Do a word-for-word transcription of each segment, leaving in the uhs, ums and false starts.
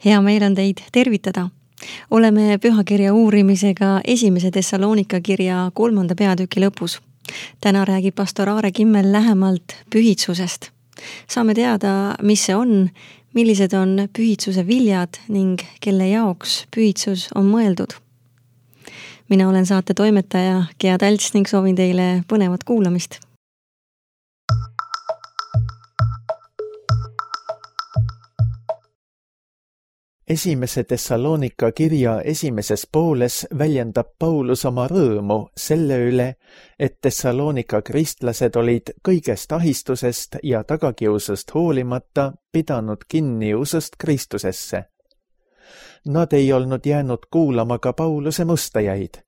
Hea meel on teid tervitada. Oleme pühakirja uurimisega esimese Thessalonika kirja kolmanda peatüki lõpus. Täna räägib pastor Aare Kimmel lähemalt pühitsusest. Saame teada, mis see on, millised on pühitsuse viljad ning kelle jaoks pühitsus on mõeldud. Mina olen saate toimetaja Gea Talts ning soovin teile põnevat kuulamist. Esimese Thessalonika kirja esimeses pooles väljendab Paulus oma rõõmu selle üle, et Thessalonika kristlased olid kõigest ahistusest ja tagakiusust hoolimata pidanud kinni usust Kristusesse. Nad ei olnud jäänud kuulama ka Pauluse mustajaid.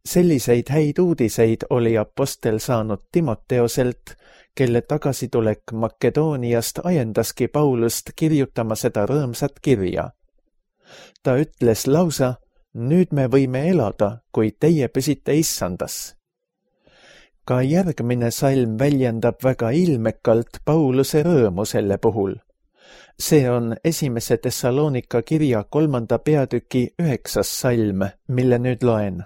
Selliseid häid uudiseid oli apostel saanud Timoteoselt, kelle tagasitulek Makedooniast ajendaski Paulust kirjutama seda rõõmsat kirja. Ta ütles lausa, nüüd me võime elada, kui teie püsite issandas. Ka järgmine salm väljendab väga ilmekalt Pauluse rõõmu selle puhul. See on esimese Thessalonika kirja kolmanda peatüki üheksas salm, mille nüüd loen.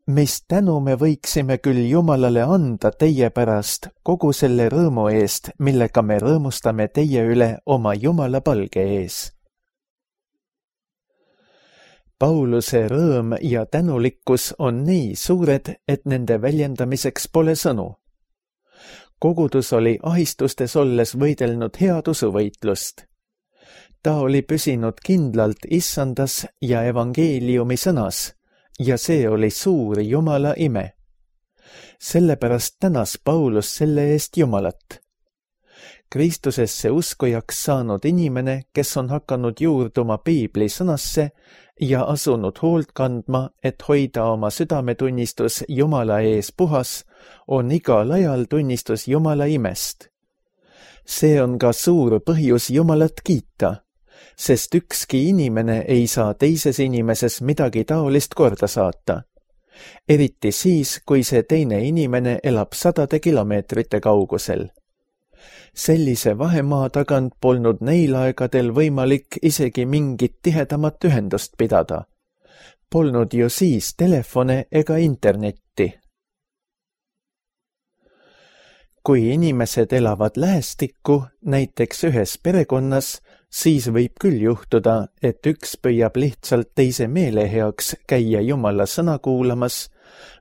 Mis tänu me võiksime küll Jumalale anda teie pärast kogu selle rõõmu eest, millega me rõõmustame teie üle oma Jumala palge ees. Pauluse rõõm ja tänulikkus on nii suured, et nende väljendamiseks pole sõnu. Kogudus oli ahistustes olles võidelnud head usuvõitlust. Ta oli püsinud kindlalt issandas ja evangeeliumi sõnas, ja see oli suur Jumala ime. Sellepärast tänas Paulus selle eest Jumalat. Kristusesse uskujaks saanud inimene, kes on hakanud juurduma Piibli sõnasse ja asunud hoolt kandma, et hoida oma südametunnistus Jumala ees puhas, on igal ajal tunnistus Jumala imest. See on ka suur põhjus Jumalat kiita, sest ükski inimene ei saa teises inimeses midagi taolist korda saata. Eriti siis, kui see teine inimene elab sadade kilomeetrite kaugusel. Sellise vahemaa tagant polnud neil aegadel võimalik isegi mingit tihedamat ühendust pidada. Polnud ju siis telefone ega internetti. Kui inimesed elavad lähestikku, näiteks ühes perekonnas, siis võib küll juhtuda, et üks püüab lihtsalt teise meele heaks käia Jumala sõna kuulamas,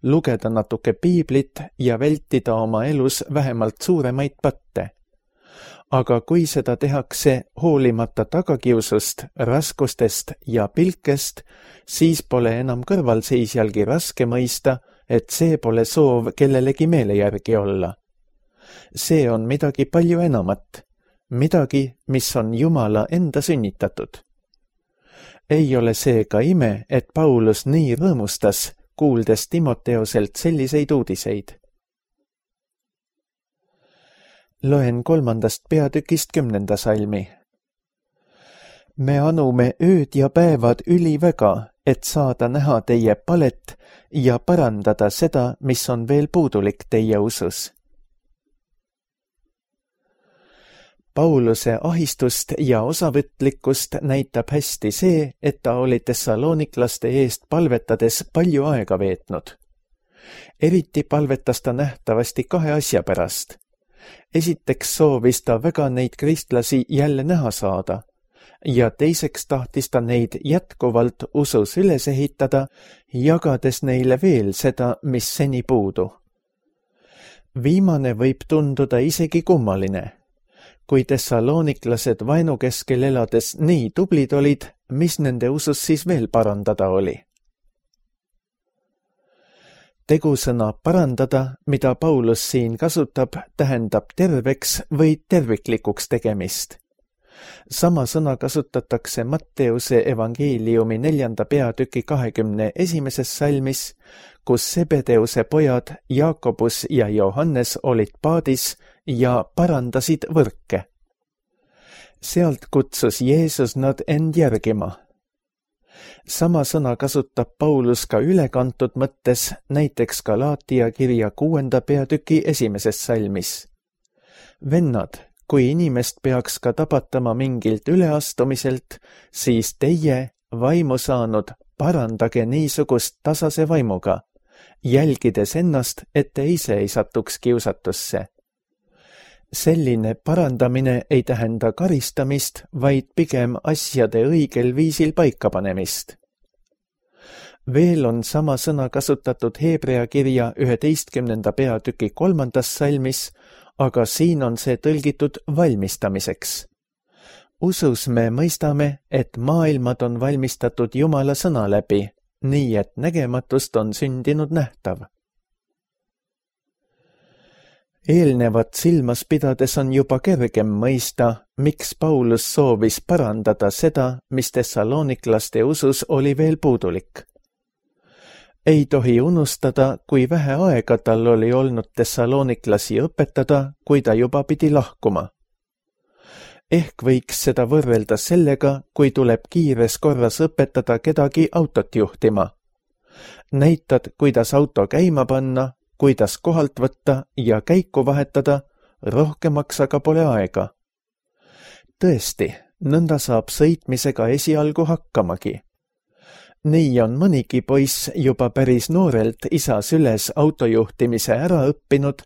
lugeda natuke Piiblit ja vältida oma elus vähemalt suuremaid patte. Aga kui seda tehakse hoolimata tagakiusust, raskustest ja pilkest, siis pole enam kõrvalseisjalgi raske mõista, et see pole soov kellelegi meele järgi olla. See on midagi palju enamat. Midagi, mis on Jumala enda sünnitatud. Ei ole see ka ime, et Paulus nii rõõmustas, kuuldes Timoteoselt selliseid uudiseid. Loen kolmandast peatükist kümnenda salmi. Me anume ööd ja päevad üliväga, et saada näha teie palet ja parandada seda, mis on veel puudulik teie usus. Pauluse ahistust ja osavõtlikkust näitab hästi see, et ta oli thessaloniklaste eest palvetades palju aega veetnud. Eriti palvetas ta nähtavasti kahe asja pärast. Esiteks soovis ta väga neid kristlasi jälle näha saada ja teiseks tahtis ta neid jätkuvalt usus üles ehitada, jagades neile veel seda, mis seni puudu. Viimane võib tunduda isegi kummaline. Kui thessaloniklased vaenukeskel elades nii tublid olid, mis nende usus siis veel parandada oli? Tegusõna parandada, mida Paulus siin kasutab, tähendab terveks või terviklikuks tegemist. Sama sõna kasutatakse Matteuse evangeeliumi neljanda peatüki kahekümne esimeses salmis, kus Sebedeuse pojad Jaakobus ja Johannes olid paadis ja parandasid võrke. Sealt kutsus Jeesus nad end järgima. Sama sõna kasutab Paulus ka ülekantud mõttes, näiteks Galaatia kirja kuuenda peatüki esimeses salmis. Vennad, kui inimest peaks ka tabatama mingilt üleastumiselt, siis teie, vaimu saanud, parandage niisugust tasase vaimuga, jälgides ennast, et te ise ei satuks kiusatusse. Selline parandamine ei tähenda karistamist, vaid pigem asjade õigel viisil paikapanemist. Veel on sama sõna kasutatud Hebrea kirja üheteistkümnenda peatüki kolmandas salmis, aga siin on see tõlgitud valmistamiseks. Usus me mõistame, et maailmad on valmistatud Jumala sõna läbi, nii et nägematust on sündinud nähtav. Eelnevat silmas pidades on juba kergem mõista, miks Paulus soovis parandada seda, mis tessaloniklaste usus oli veel puudulik. Ei tohi unustada, kui vähe aega tal oli olnud tessaloniklasi õpetada, kui ta juba pidi lahkuma. Ehk võiks seda võrrelda sellega, kui tuleb kiires korras õpetada kedagi autot juhtima. Näitad, kuidas auto käima panna, kuidas kohalt võtta ja käiku vahetada, rohkemaks aga pole aega. Tõesti, nõnda saab sõitmisega esialgu hakkamagi. Nii on mõnigi poiss juba päris noorelt isa süles autojuhtimise ära õppinud,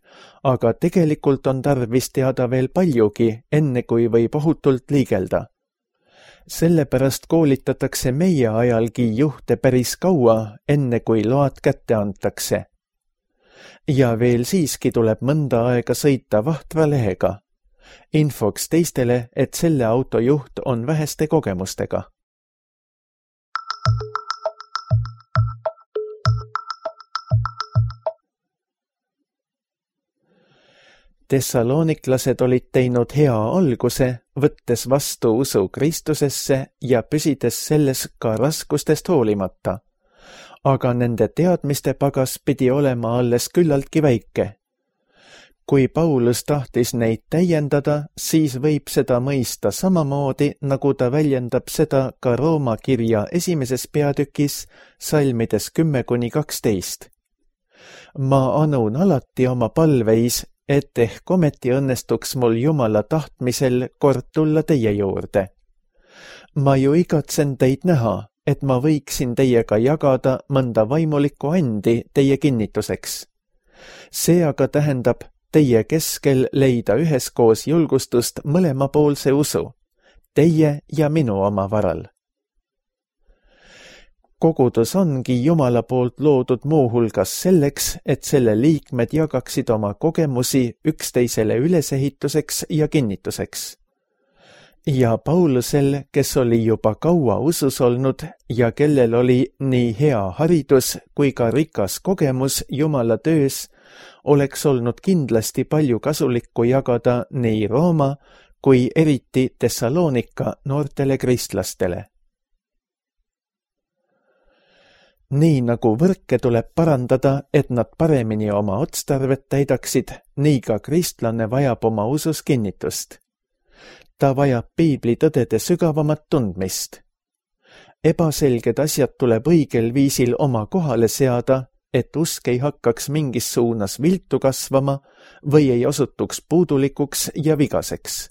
aga tegelikult on tarvis teada veel paljugi, enne kui võib ohutult liigelda. Sellepärast koolitatakse meie ajalgi juhte päris kaua, enne kui load kätte antakse. Ja veel siiski tuleb mõnda aega sõita vahtra lehega. Infoks teistele, et selle auto juht on väheste kogemustega. Tessaloniklased olid teinud hea alguse, võttes vastu usu Kristusesse ja püsides selles ka raskustest hoolimata. Aga nende teadmiste pagas pidi olema alles küllaltki väike. Kui Paulus tahtis neid täiendada, siis võib seda mõista samamoodi, nagu ta väljendab seda ka Rooma kirja esimeses peatükis, salmides kümme kuni kaksteist. Ma anun alati oma palveis, et ehk ometi õnnestuks mul Jumala tahtmisel kord tulla teie juurde. Ma ju igatsen teid näha, et ma võiksin teiega jagada mõnda vaimulikku andi teie kinnituseks. See aga tähendab teie keskel leida üheskoos julgustust mõlemapoolse usu, teie ja minu oma varal. Kogudus ongi Jumala poolt loodud muuhulgas selleks, et selle liikmed jagaksid oma kogemusi üksteisele ülesehituseks ja kinnituseks. Ja Paulusel, kes oli juba kaua usus olnud ja kellel oli nii hea haridus kui ka rikas kogemus Jumala töös, oleks olnud kindlasti palju kasulikku jagada nii Rooma kui eriti Tessalonika noortele kristlastele. Nii nagu võrke tuleb parandada, et nad paremini oma otstarvet täidaksid, nii ka kristlane vajab oma usus kinnitust. Ta vajab piibli tõdede sügavamat tundmist. Ebaselged asjad tuleb õigel viisil oma kohale seada, et usk ei hakkaks mingis suunas viltu kasvama või ei osutuks puudulikuks ja vigaseks.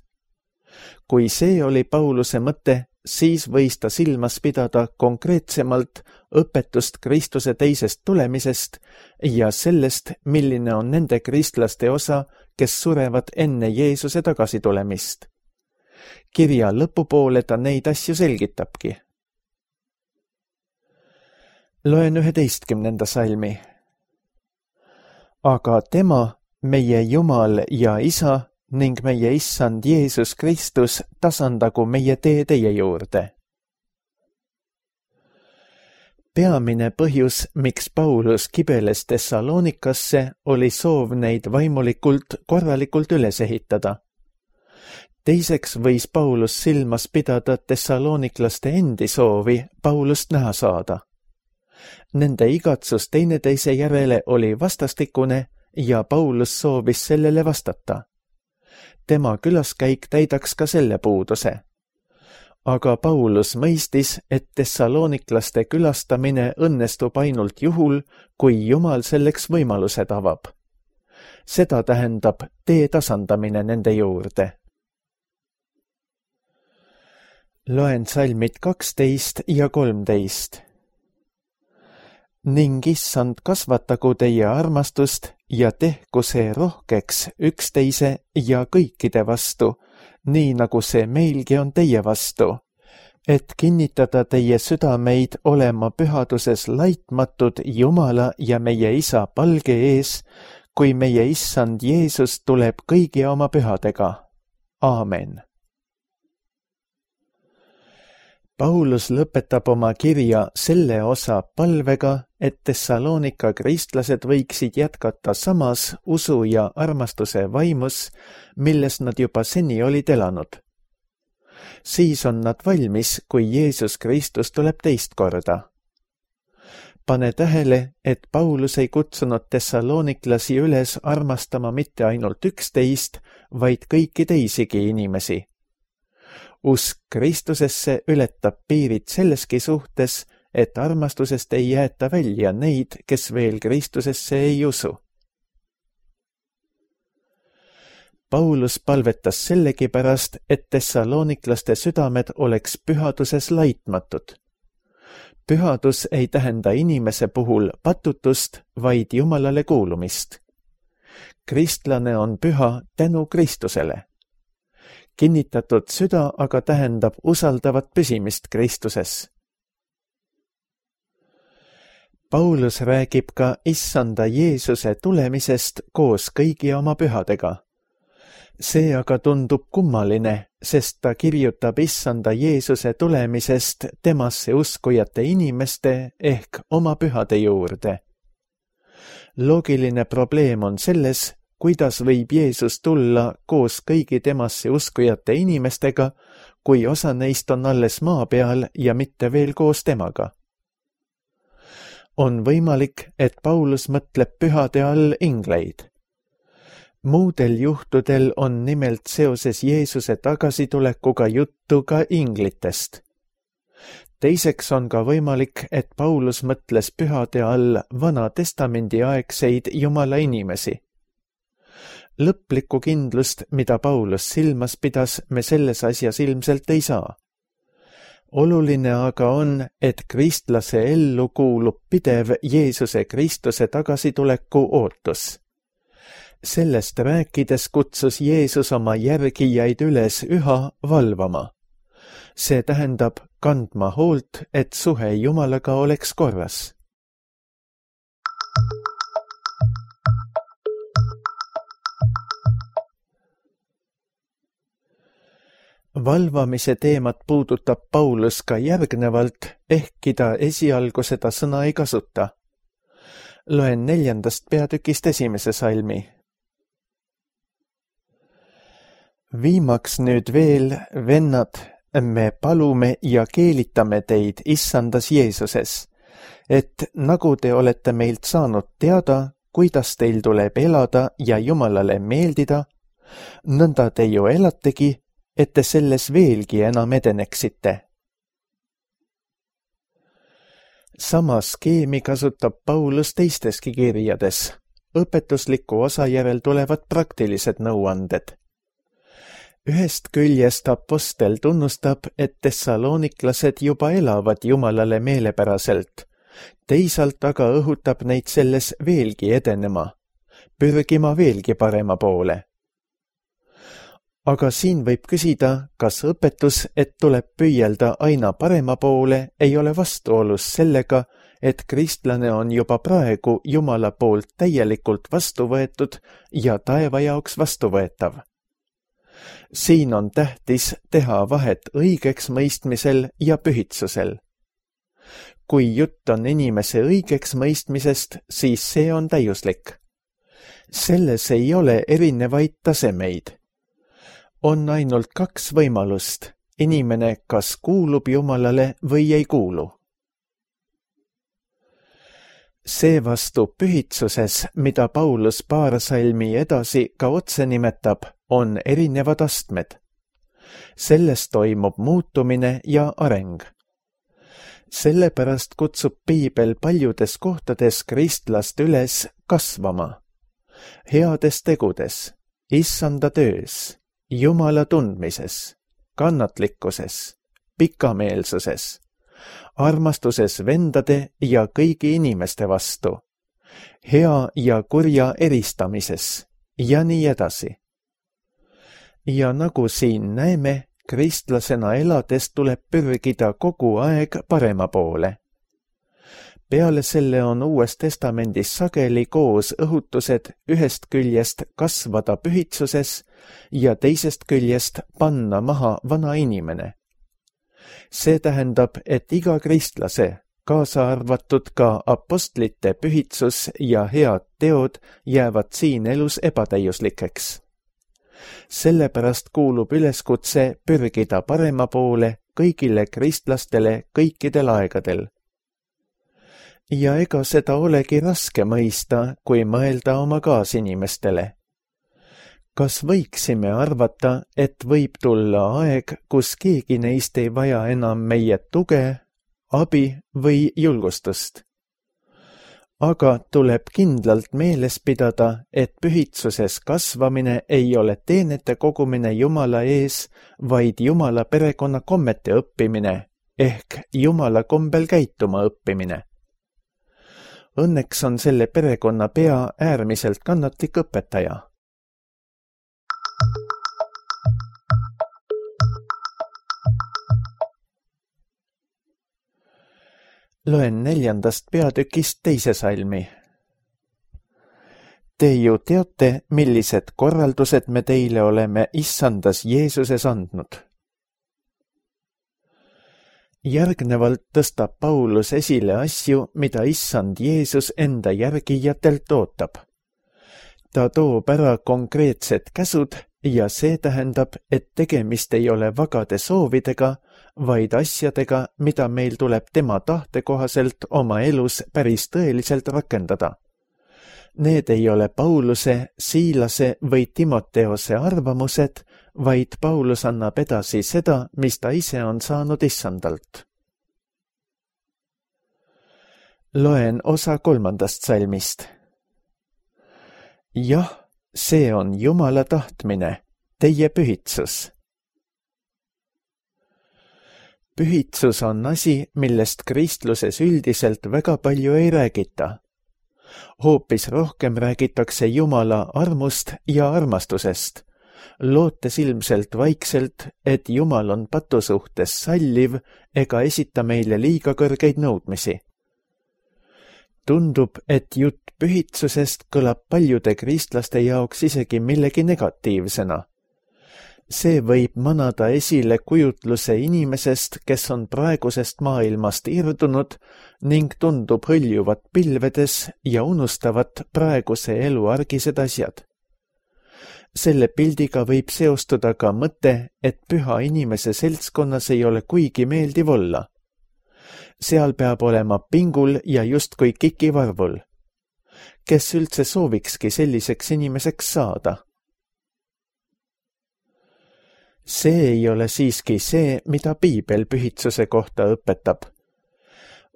Kui see oli Pauluse mõte, siis võis ta silmas pidada konkreetsemalt õpetust Kristuse teisest tulemisest ja sellest, milline on nende kristlaste osa, kes surevad enne Jeesuse tagasitulemist. Kirja lõpupoole ta neid asju selgitabki. Loen üheteistkümnenda salmi. Aga tema, meie Jumal ja Isa, ning meie Issand Jeesus Kristus tasandagu meie tee teie juurde. Peamine põhjus, miks Paulus kibeles Tessalonikasse, oli soov neid vaimulikult korralikult üles ehitada. Teiseks võis Paulus silmas pidada tessaloniklaste endi soovi Paulust näha saada. Nende igatsus teineteise järele oli vastastikune ja Paulus soovis sellele vastata. Tema külaskäik täidaks ka selle puuduse. Aga Paulus mõistis, et tessaloniklaste külastamine õnnestub ainult juhul, kui Jumal selleks võimalused avab. Seda tähendab tee tasandamine nende juurde. Loen salmid kaksteist ja kolmteist. Ning issand kasvatagu teie armastust ja tehku see rohkeks üksteise ja kõikide vastu, nii nagu see meilgi on teie vastu, et kinnitada teie südameid olema pühaduses laitmatud Jumala ja meie Isa palge ees, kui meie issand Jeesus tuleb kõigi oma pühadega. Aamen. Paulus lõpetab oma kirja selle osa palvega, et Thessalonika kristlased võiksid jätkata samas usu ja armastuse vaimus, milles nad juba seni olid elanud. Siis on nad valmis, kui Jeesus Kristus tuleb teist korda. Pane tähele, et Paulus ei kutsunud thessaloniklasi üles armastama mitte ainult üksteist, vaid kõiki teisigi inimesi. Usk Kristusesse ületab piirid selleski suhtes, et armastusest ei jäeta välja neid, kes veel Kristusesse ei usu. Paulus palvetas sellegipärast, et thessaloniklaste südamed oleks pühaduses laitmatud. Pühadus ei tähenda inimese puhul patutust, vaid Jumalale kuulumist. Kristlane on püha tänu Kristusele. Kinnitatud süda aga tähendab usaldavat püsimist Kristuses. Paulus räägib ka issanda Jeesuse tulemisest koos kõigi oma pühadega. See aga tundub kummaline, sest ta kirjutab issanda Jeesuse tulemisest temasse uskujate inimeste ehk oma pühade juurde. Loogiline probleem on selles, kuidas võib Jeesus tulla koos kõigi temasse uskujate inimestega, kui osa neist on alles maa peal ja mitte veel koos temaga. On võimalik, et Paulus mõtleb pühade all ingleid. Muudel juhtudel on nimelt seoses Jeesuse tagasitulekuga juttu ka inglitest. Teiseks on ka võimalik, et Paulus mõtles pühade all Vana Testamendi aegseid Jumala inimesi. Lõplikku kindlust, mida Paulus silmas pidas, me selles asjas ilmselt ei saa. Oluline aga on, et kristlase ellu kuulub pidev Jeesuse Kristuse tagasituleku ootus. Sellest rääkides kutsus Jeesus oma järgijaid üles üha valvama. See tähendab kandma hoolt, et suhe Jumalaga oleks korras. Valvamise teemat puudutab Paulus ka järgnevalt, ehkki ta esialgu seda sõna ei kasuta. Loen neljandast peatükist esimese salmi. Viimaks nüüd veel, vennad, me palume ja keelitame teid issandas Jeesuses, et nagu te olete meilt saanud teada, kuidas teil tuleb elada ja Jumalale meeldida, nõnda te ju elategi, et te selles veelgi enam edeneksite. Sama skeemi kasutab Paulus teisteski kirjades. Õpetusliku osa järel tulevad praktilised nõuanded. Ühest küljest apostel tunnustab, et thessaloniklased juba elavad Jumalale meelepäraselt. Teisalt aga õhutab neid selles veelgi edenema, pürgima veelgi parema poole. Aga siin võib küsida, kas õpetus, et tuleb püüelda aina parema poole, ei ole vastuolus sellega, et kristlane on juba praegu Jumala poolt täielikult vastu võetud ja taeva jaoks vastuvõetav. Siin on tähtis teha vahet õigeks mõistmisel ja pühitsusel. Kui jutt on inimese õigeks mõistmisest, siis see on täiuslik. Selles ei ole erinevaid tasemeid. On ainult kaks võimalust, inimene kas kuulub Jumalale või ei kuulu. Seevastu pühitsuses, mida Paulus paar salmi edasi ka otse nimetab, on erinevad astmed. Sellest toimub muutumine ja areng. Sellepärast kutsub Piibel paljudes kohtades kristlast üles kasvama. Heades tegudes, issanda töös, Jumala tundmises, kannatlikkuses, pikameelsuses, armastuses vendade ja kõigi inimeste vastu, hea ja kurja eristamises ja nii edasi. Ja nagu siin näeme, kristlasena elades tuleb pürgida kogu aeg parema poole. Peale selle on Uues Testamendis sageli koos õhutused ühest küljest kasvada pühitsuses ja teisest küljest panna maha vana inimene. See tähendab, et iga kristlase, kaasa arvatud ka apostlite pühitsus ja head teod jäävad siin elus ebatäiuslikeks. Sellepärast kuulub üleskutse pürgida parema poole kõigile kristlastele kõikidel aegadel. Ja ega seda olegi raske mõista, kui mõelda oma kaasinimestele. Kas võiksime arvata, et võib tulla aeg, kus keegi neist ei vaja enam meie tuge, abi või julgustust? Aga tuleb kindlalt meeles pidada, et pühitsuses kasvamine ei ole teenete kogumine Jumala ees, vaid Jumala perekonna kommete õppimine ehk Jumala kombel käituma õppimine. Õnneks on selle perekonna pea äärmiselt kannatlik õpetaja. Loen neljandast peatükist teise salmi. Te ju teate, millised korraldused me teile oleme Issandas Jeesuses andnud. Järgnevalt tõstab Paulus esile asju, mida Issand Jeesus enda järgijatelt ootab. Ta toob ära konkreetsed käsud ja see tähendab, et tegemist ei ole vagade soovidega, vaid asjadega, mida meil tuleb tema tahte kohaselt oma elus päris tõeliselt rakendada. Need ei ole Pauluse, Siilase või Timoteose arvamused, vaid Paulus annab edasi seda, mis ta ise on saanud Issandalt. Loen osa kolmandast salmist. Jah, see on Jumala tahtmine, teie pühitsus. Pühitsus on asi, millest kristluses üldiselt väga palju ei räägita. Hoopis rohkem räägitakse Jumala armust ja armastusest, lootes ilmselt vaikselt, et Jumal on patu suhtes salliv ega esita meile liiga kõrgeid nõudmisi. Tundub, et jutt pühitsusest kõlab paljude kristlaste jaoks isegi millegi negatiivsena. See võib manada esile kujutluse inimesest, kes on praegusest maailmast irdunud ning tundub hõljuvat pilvedes ja unustavat praeguse elu argised asjad. Selle pildiga võib seostuda ka mõte, et püha inimese seltskonnas ei ole kuigi meeldiv olla. Seal peab olema pingul ja justkui kikivarvul. Kes üldse soovikski selliseks inimeseks saada? See ei ole siiski see, mida Piibel pühitsuse kohta õpetab.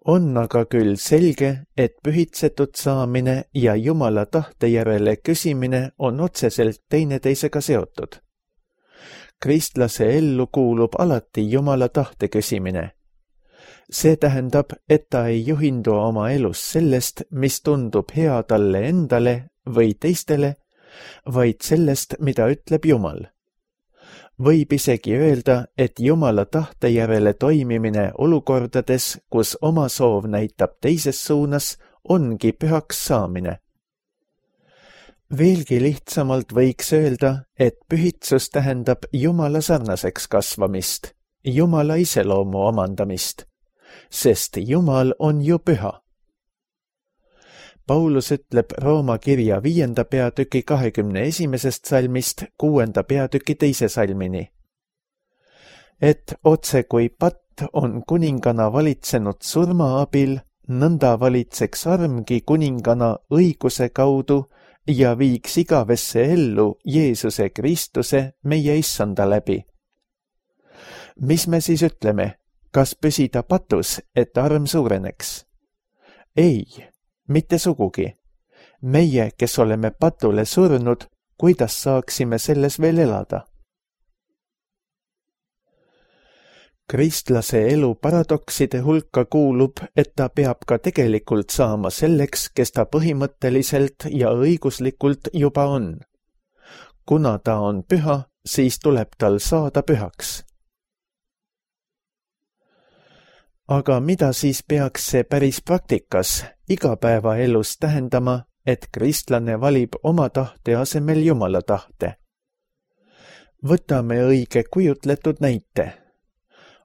On aga küll selge, et pühitsetud saamine ja Jumala tahte järele küsimine on otseselt teineteisega seotud. Kristlase ellu kuulub alati Jumala tahte küsimine. See tähendab, et ta ei juhindu oma elus sellest, mis tundub hea talle endale või teistele, vaid sellest, mida ütleb Jumal. Võib isegi öelda, et Jumala tahte järele toimimine olukordades, kus oma soov näitab teises suunas, ongi pühaks saamine. Veelgi lihtsamalt võiks öelda, et pühitsus tähendab Jumala sarnaseks kasvamist, Jumala iseloomu omandamist, sest Jumal on ju püha. Paulus ütleb Rooma kirja viienda peatüki kahekümne esimesest salmist kuuenda peatüki teise salmini, et otse kui patt on kuningana valitsenud surma abil, nõnda valitseks armgi kuningana õiguse kaudu ja viiks igavesse ellu Jeesuse Kristuse meie Issanda läbi. Mis me siis ütleme, kas püsida patus, et arm suureneks? Ei. Mitte sugugi. Meie, kes oleme patule surnud, kuidas saaksime selles veel elada? Kristlase elu paradokside hulka kuulub, et ta peab ka tegelikult saama selleks, kes ta põhimõtteliselt ja õiguslikult juba on. Kuna ta on püha, siis tuleb tal saada pühaks. Aga mida siis peaks see päris praktikas, igapäevaelus tähendama, et kristlane valib oma tahte asemel Jumala tahte? Võtame õige kujutletud näite.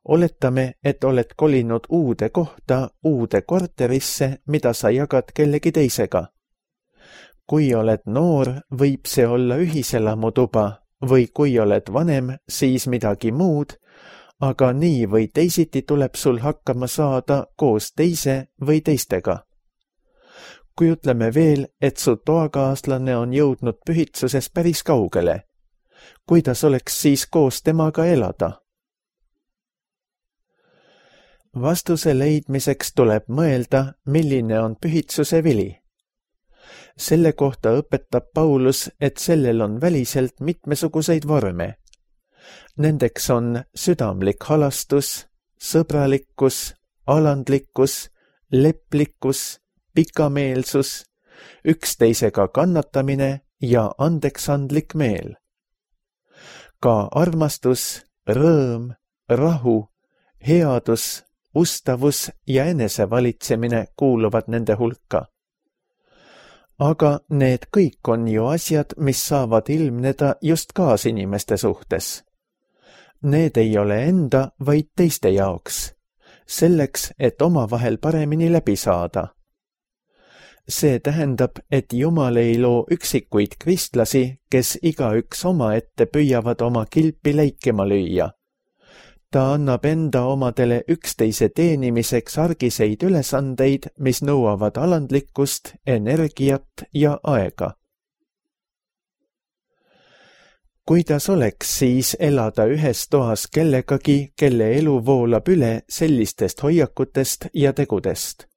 Oletame, et oled kolinud uude kohta, uude korterisse, mida sa jagad kellegi teisega. Kui oled noor, võib see olla ühiselamutuba, või kui oled vanem, siis midagi muud, aga nii või teisiti tuleb sul hakkama saada koos teise või teistega. Kujutleme veel, et su toakaaslane on jõudnud pühitsuses päris kaugele. Kuidas oleks siis koos temaga elada? Vastuse leidmiseks tuleb mõelda, milline on pühitsuse vili. Selle kohta õpetab Paulus, et sellel on väliselt mitmesuguseid vorme. Nendeks on südamlik halastus, sõbralikkus, alandlikkus, leplikkus, pikameelsus, üksteisega kannatamine ja andeksandlik meel. Ka armastus, rõõm, rahu, headus, ustavus ja enesevalitsemine kuuluvad nende hulka. Aga need kõik on ju asjad, mis saavad ilmneda just kaasinimeste suhtes. Need ei ole enda, vaid teiste jaoks, selleks, et omavahel paremini läbi saada. See tähendab, et Jumal ei loo üksikuid kristlasi, kes igaüks omaette püüavad oma kilpi läikema lüüa. Ta annab enda omadele üksteise teenimiseks argiseid ülesandeid, mis nõuavad alandlikkust, energiat ja aega. Kuidas oleks siis elada ühes toas kellegagi, kelle elu voolab üle sellistest hoiakutest ja tegudest?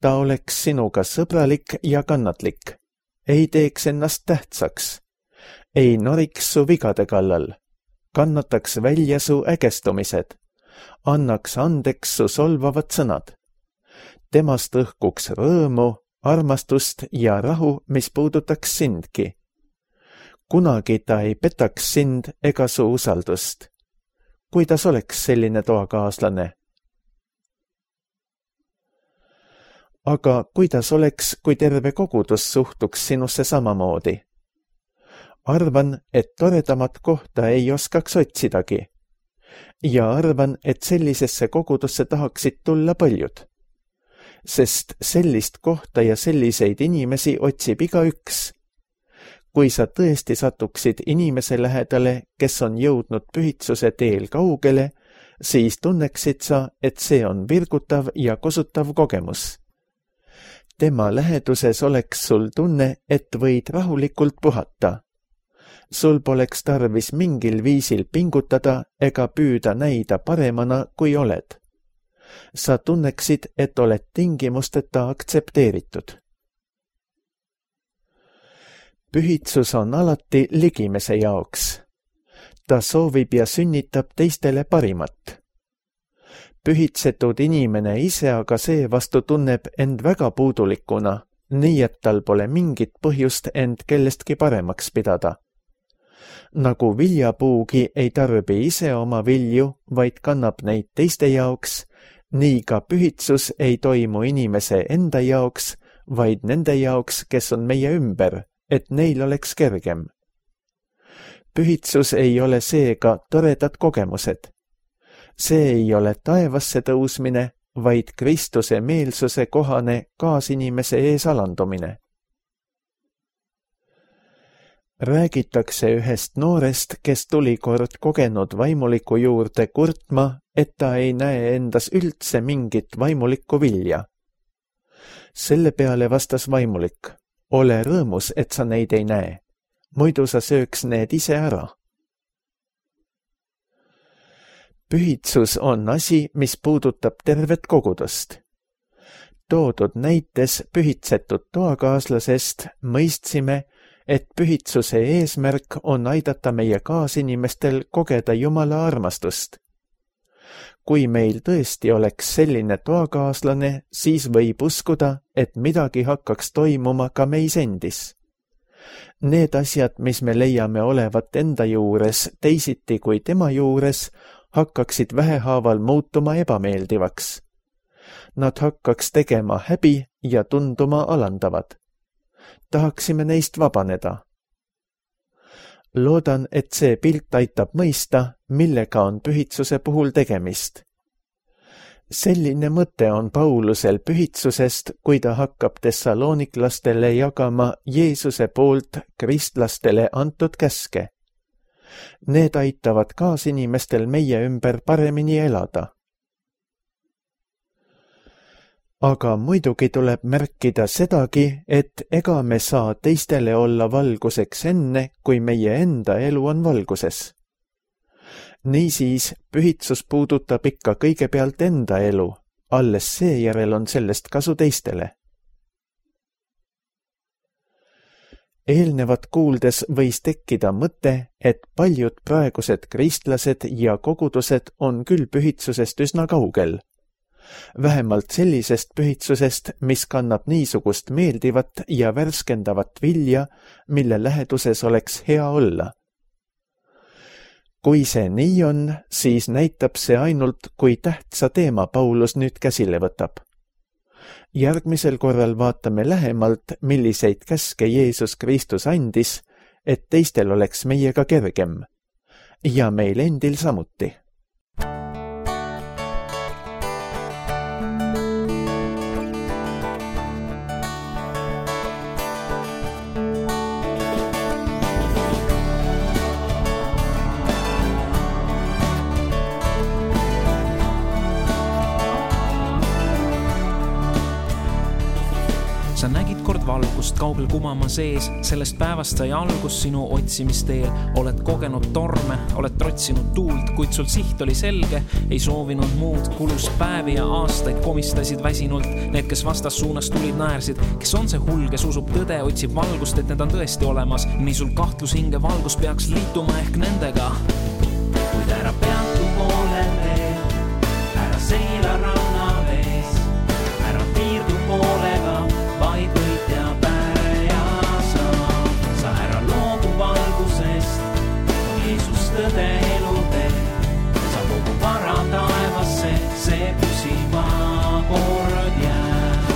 Ta oleks sinuga sõbralik ja kannatlik, ei teeks ennast tähtsaks, ei noriks su vigade kallal, kannataks välja su ägestumised, annaks andeks su solvavad sõnad. Temast õhkuks rõõmu, armastust ja rahu, mis puudutaks sindki. Kunagi ta ei petaks sind ega su usaldust. Kuidas oleks selline toakaaslane? Aga kuidas oleks, kui terve kogudus suhtuks sinusse samamoodi? Arvan, et toredamat kohta ei oskaks otsidagi. Ja arvan, et sellisesse kogudusse tahaksid tulla paljud. Sest sellist kohta ja selliseid inimesi otsib igaüks. Kui sa tõesti satuksid inimese lähedale, kes on jõudnud pühitsuse teel kaugele, siis tunneksid sa, et see on virgutav ja kosutav kogemus. Tema läheduses oleks sul tunne, et võid rahulikult puhata. Sul poleks tarvis mingil viisil pingutada ega püüda näida paremana, kui oled. Sa tunneksid, et oled tingimusteta aktsepteeritud. Pühitsus on alati ligimese jaoks. Ta soovib ja sünnitab teistele parimat. Pühitsetud inimene ise aga seevastu tunneb end väga puudulikuna, nii et tal pole mingit põhjust end kellestki paremaks pidada. Nagu viljapuugi ei tarbi ise oma vilju, vaid kannab neid teiste jaoks, nii ka pühitsus ei toimu inimese enda jaoks, vaid nende jaoks, kes on meie ümber, et neil oleks kergem. Pühitsus ei ole seega toredad kogemused. See ei ole taevasse tõusmine, vaid Kristuse meelsuse kohane kaasinimese ees alandumine. Räägitakse ühest noorest, kes tuli kord kogenud vaimuliku juurde kurtma, et ta ei näe endas üldse mingit vaimulikku vilja. Selle peale vastas vaimulik, ole rõõmus, et sa neid ei näe, muidu sa sööks need ise ära. Pühitsus on asi, mis puudutab tervet kogudust. Toodud näites pühitsetud toakaaslasest mõistsime, et pühitsuse eesmärk on aidata meie kaasinimestel kogeda Jumala armastust. Kui meil tõesti oleks selline toakaaslane, siis võib uskuda, et midagi hakkaks toimuma ka meis endis. Need asjad, mis me leiame olevat enda juures teisiti kui tema juures, hakkaksid vähehaaval muutuma ebameeldivaks. Nad hakkaks tegema häbi ja tunduma alandavad. Tahaksime neist vabaneda. Loodan, et see pilt aitab mõista, millega on pühitsuse puhul tegemist. Selline mõte on Paulusel pühitsusest, kui ta hakkab tessaloniklastele jagama Jeesuse poolt kristlastele antud käske. Need aitavad kaasinimestel meie ümber paremini elada. Aga muidugi tuleb märkida sedagi, et ega me saa teistele olla valguseks enne, kui meie enda elu on valguses. Niisiis, pühitsus puudutab ikka kõigepealt enda elu, alles seejärel on sellest kasu teistele. Eelnevat kuuldes võis tekkida mõte, et paljud praegused kristlased ja kogudused on küll pühitsusest üsna kaugel. Vähemalt sellisest pühitsusest, mis kannab niisugust meeldivat ja värskendavat vilja, mille läheduses oleks hea olla. Kui see nii on, siis näitab see ainult, kui tähtsa teema Paulus nüüd käsile võtab. Järgmisel korral vaatame lähemalt, milliseid käske Jeesus Kristus andis, et teistel oleks meiega kergem. Ja meil endil samuti. Sa nägid kord valgust kaugel kumama sees, sellest päevast sai algus sinu otsimisteel. Oled kogenud torme, oled trotsinud tuult, kuid sul siht oli selge, ei soovinud muud. Kulus päevi ja aastaid komistasid väsinult, need, kes vastas suunas tulid, naersid. Kes on see hull, kes usub tõde, otsib valgust, et need on tõesti olemas. Nii sul kahtlus hinge valgus peaks liituma ehk nendega. Kuid ära peatu poolel veel, ära seila ranna vees, ära piirdu poolega, vaid võitja päre ja sa. Sa ära loogu valgusest, on Jeesus tõde elu teeb. Sa kogu vara taevasse, see püsima kord jääb.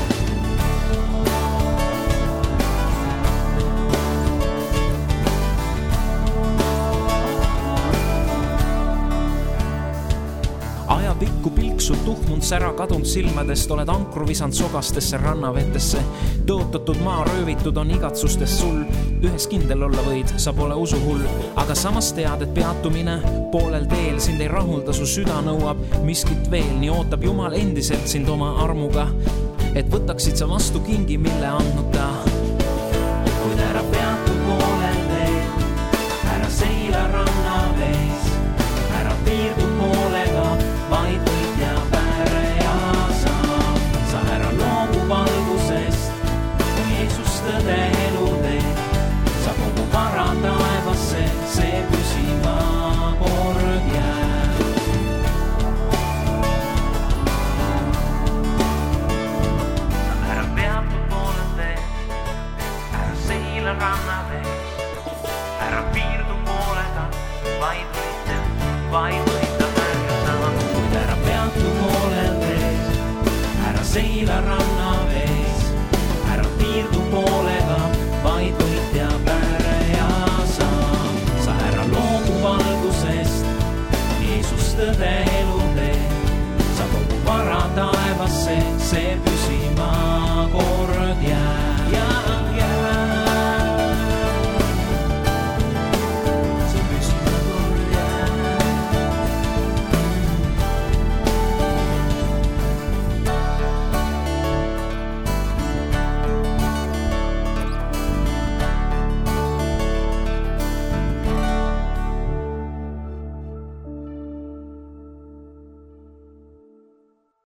Ajapikku pilksud tuhmunud sära kadunud silmadest, oled ankru visand sogastesse rannavetesse. Tõotatud maa röövitud on igatsustest sul, ühes kindel olla võid, sa pole usuhull. Aga samas tead, et peatumine poolel teel sind ei rahulda, su süda nõuab miskit veel. Nii ootab Jumal endiselt sind oma armuga, et võtaksid sa vastu kingi, mille andnud ta. Kuid ära peatu poolel teel, ära seila ranna vees, ära piirdu poolega, vaid võitja päre ja sa. Sa ära loogu valgusest, kui Jeesus tõde elu teeb. Sa kogu vara taevasse, see püsima kord jääb. Ära peatu poolel teel, ära seila ranna vees, ära piirdu poolega, vaid võitja, vaid võitja. Seila ranna vees, ära piirdu poolega, vaid võitja päre ja sa. Sa ära loogu valgusest, Jeesus tõde elu teeb. Sa kogu vara taevasse, see